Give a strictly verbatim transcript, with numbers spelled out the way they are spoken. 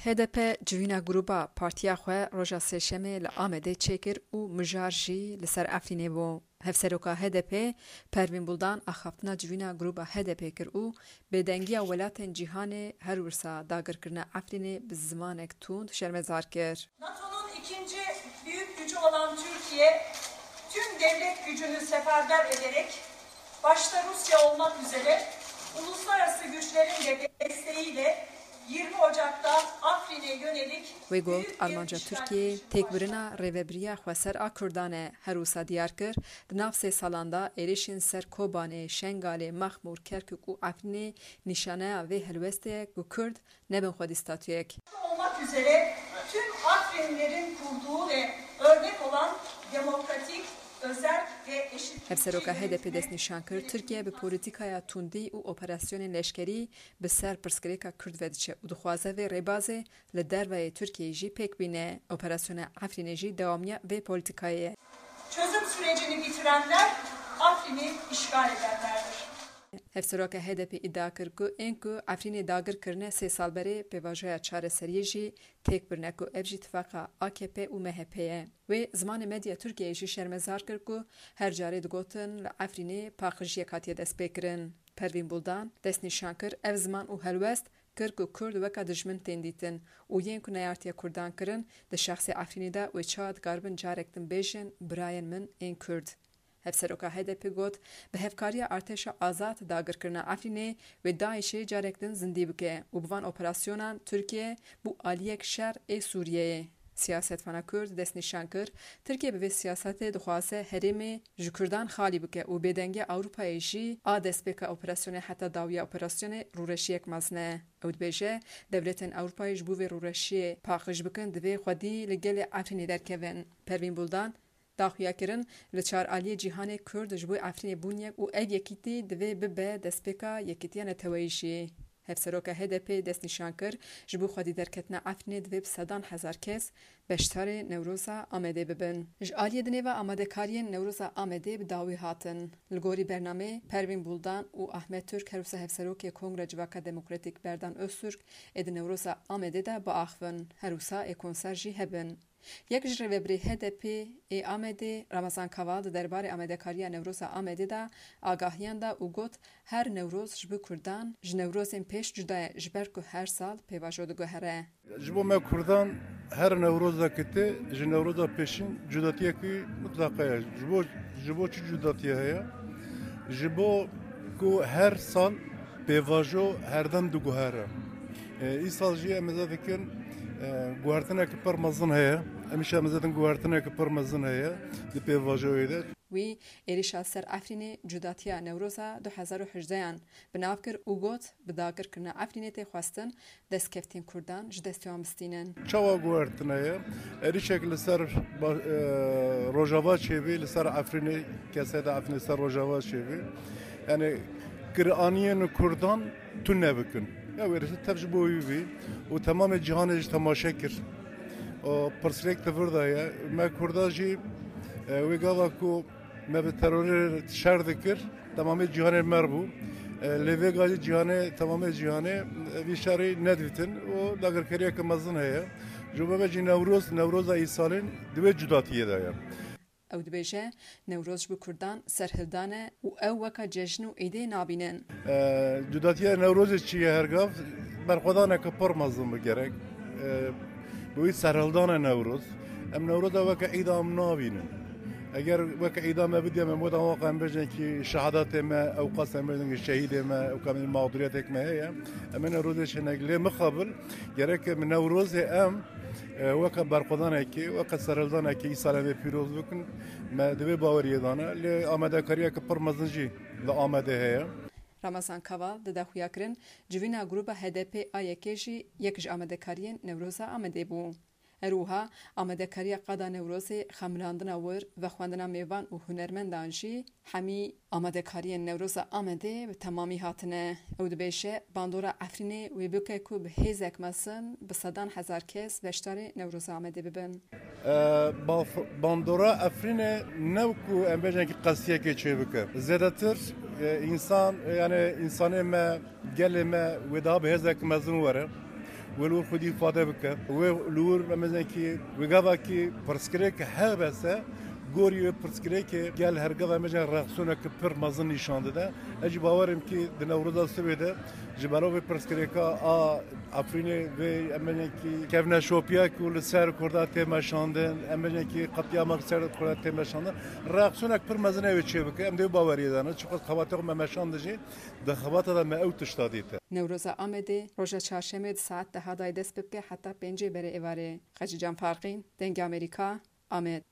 H D P civîna grûba partiya xwe roja Sêşemê li Amedê çêkir û mijar jî li ser Efrînê bû. Hevseroka H D P Pervîn Buldan axaftina civîna grûba H D P kir û bêdengiya welatên cîhanê her wisa dagirkirina Efrînê bi zimanek tund şermezar kir. NATO'nun ikinci büyük gücü olan Türkiye tüm devlet gücünü seferber ederek başta Rusya olmak üzere uluslararası güçlerin de desteğiyle yirmi Ocak'ta Afrin'e yönelik Wê got, armanca Tirkiyeyê têkbirina rêvebiriya xweser a Kurdan e. Her wisa diyar kir, di nav sê salan de êrişên ser Kobanê, Şengalê, Mexmûr, Kerkûk û Efrînê nîşaneya vê helwestê ye ku Kurd nebin xwedî statuyek. Olmak üzere tüm Afrinlilerin kurduğu ve örnek olan demokratik, özel ve eşitlikçi Hevseroka H D P destnîşan kir, Tirkiye bi polîtîkaya tundî û operasyonên leşkerî bi ser pirsgirêka Kurd ve diçe û dixwaze vê rêbazê li derveyê Tirkiyeyê jî pêk bîne. Operasyona Efrînê jî dewamiya vê polîtîkayê ye. Çözüm sürecini bitirenler Afrin'i işgal edenlerdir. Hevseroka H D P îdia kir ku ên ku Efrînê dagir kirine sê sal berê pêvajoya çareseriyê jî têk birine ku ev jî tifaqa A K P û M H P ye. Wê zimanê medya Tirkiyeyê jî şermezar kir ku her carê digotin li Efrînê paqijiyek hatiye destpêkirin. Pervîn Buldan destnîşan kir, ev ziman û helwest kir ku Kurd weka dijmin tên dîtin û yên ku neyartiye Kurdan kirin, di şexsê Efrînê de wê çawa dikaribin carek din bêjin, birayên min ên Kurd. Hevseroka H D P got, bi hevkariya artêşa azad dagirkirina Efrînê wê DAIŞê carek din zindî bike û bi van operasyonan Tirkiye bû aliyek şer ê Sûriyeyê. Siyasetvana Kurd destnîşan kir, Tirkiye bi vê siyasetê dixwaze herêmê ji Kurdan xalî bike û bêdengiya Ewropayê jî a destpêka operasyonê heta dawiya operasyonê rûreşiyek mezin e. Ew dibêje, dewletên Ewropayê ji bo vê rûreşiyê paqij bikin, divê xwedî li gelê Efrînê derkevin. Pervîn Buldan daxuya kirin, li çar aliyê cîhanê Kurd ji bo Efrînê bûn yek û ev yekîtî divê bibe destpêka yekîtiya neteweyî jî. Hevseroka H D P destnîşan kir, ji bo xwedî derketina Efrînê divê bi sedan hezar kes beşdarê Newroza Amedê bibin. Ji aliyê dinê ve amadekariyên Newroza Amedê bi dawî hatin. Li gorî bernameyê Pervîn Buldan û Ahmet Türk, her wisa Hevserokê Kongre Civaka Demokratîk Berdan Öztürk ê di Newroza Amedê de biaxivin, her wisa ê konser jî hebin. Yek ji rêvebirê H D P ê Amedê Ramazan Kaval di derbarê amadekariya Newroza Amedê de agahiyan da û got, her Newroz ji bo Kurdan ji Newrozên pêş cuda ye, ji ber ku her sal pêvajo diguhere. Ji bo me Kurdan her Newrozekî tê ji Newroza pêşîn cudatiyekî mitleqa ye. Ji bo, ji bo çi cudatiye heye? Ji bo ku her sal pêvajo herdem diguhere. E, îsal jî em ê dikin, e, guhertineke pir mezin heye. Em îşa em ê dikin guhertineke pir mezin heye di pêvajoyê de. Wî êrişa ser Efrînê cudatiya Newroza du hezar û hejdeyan bi nav kir û got, bi dagirkirina Efrînê tê xwestin destkeftiyan Kurdan ji destê wan bistînin. Çawa guhertine ye? Êrişek li ser ba-, e, Rojava çêbî, li ser Efrînê, kesê de Efrînê ser Rojava çêbî. Yani, kiraniyên Kurdan tune bikin. Ya wê tev ji bo wî bî û temamê cîhanê ji temaşe kir. O pirsgirêk di vir de ye. Me Kurda jî, e, wê gava ku me bi terorê şer dikir, temamê cîhanê mer bû. E, lê vêga jî cîhanê, temamê cîhanê, e, vî şerî nedîtin û dagirkeriyeke mezin heye. Ji bo me jî Newroz, Newroza îsalên di wê cudatiyê de ye. Ew dibêje, Newroz ji bo Kurdan serhildan e û ew weka cejn û îdê nabînin. E, cudatiya Newrozê çi ye her gav? Berxwedaneke pir mezin bi gerek. E, bi wî serhildana Newroz. Em Newroza weke îda em nabînin. Eger weke îda me bidiya me moda waqa em bêjin ki şehadatê me, ewqas em bêjin ki şehîdê me, ewka min mağduriyetek me heye. Em ê Newrozê çênek lê mixabil, gerek em Newrozê em E, weke berxwedanekê, weke serhildanekê îsal em ê pîroz bikin. Me di vê baweriyê de ne. Lê amadekariyeke pir mezin jî li Amedê heye. Ramazan Kaval dide xuyakirin, civîna grûba H D P A Y K jî yek ji amadekariyên Newroza Amedê bû. Her wiha amadekariya qada Newrozê, xemilandina wir, vexwendina mêvan û hunermendan jî hemî amadekariyên Newroza Amedê bi temamî hatine. Ew dibêje, bandora Efrînê wê bike ku bi hêzek mezin bi sedan hezar kes beşdarê Newroza Amedê bibin. E, baf-, bandora Efrînê ne ku em bêjin ki qestiyekê çêbike. Zêdetir, e, însan, e, yani însanê me, gelê me wê daha bi hêzek mezin were. Wê li wir xwedî îfade bike. Wê li wir em bêjin kî wê gavakî pirsgirêk hebe se, gorî wê pirsgirêkê gel her gava em bêjin reaksiyoneke pir mezin nîşan dide. Ez jî bawer im kî di Newroza sibê de ji bera vê pirsgirêka a Efrînê vê em bêjin kî kevneşopiya ku li ser Kurda tê meşandin, em bêjin kî qetlîama ser Kurda tê meşandin, reaksiyonek pir mezin ew ê çêbike. Em dê wê baweriyê de ne. Çiqas xebatê xwe me meşandin jî, di xebata de me ew tişta dîte. Newroza Amedê roja çarşemê di saet deha dayê dest pê bike heta pêncê berê êvarê. Xecîcan Farqîn, Dengê Amerîka, Amed.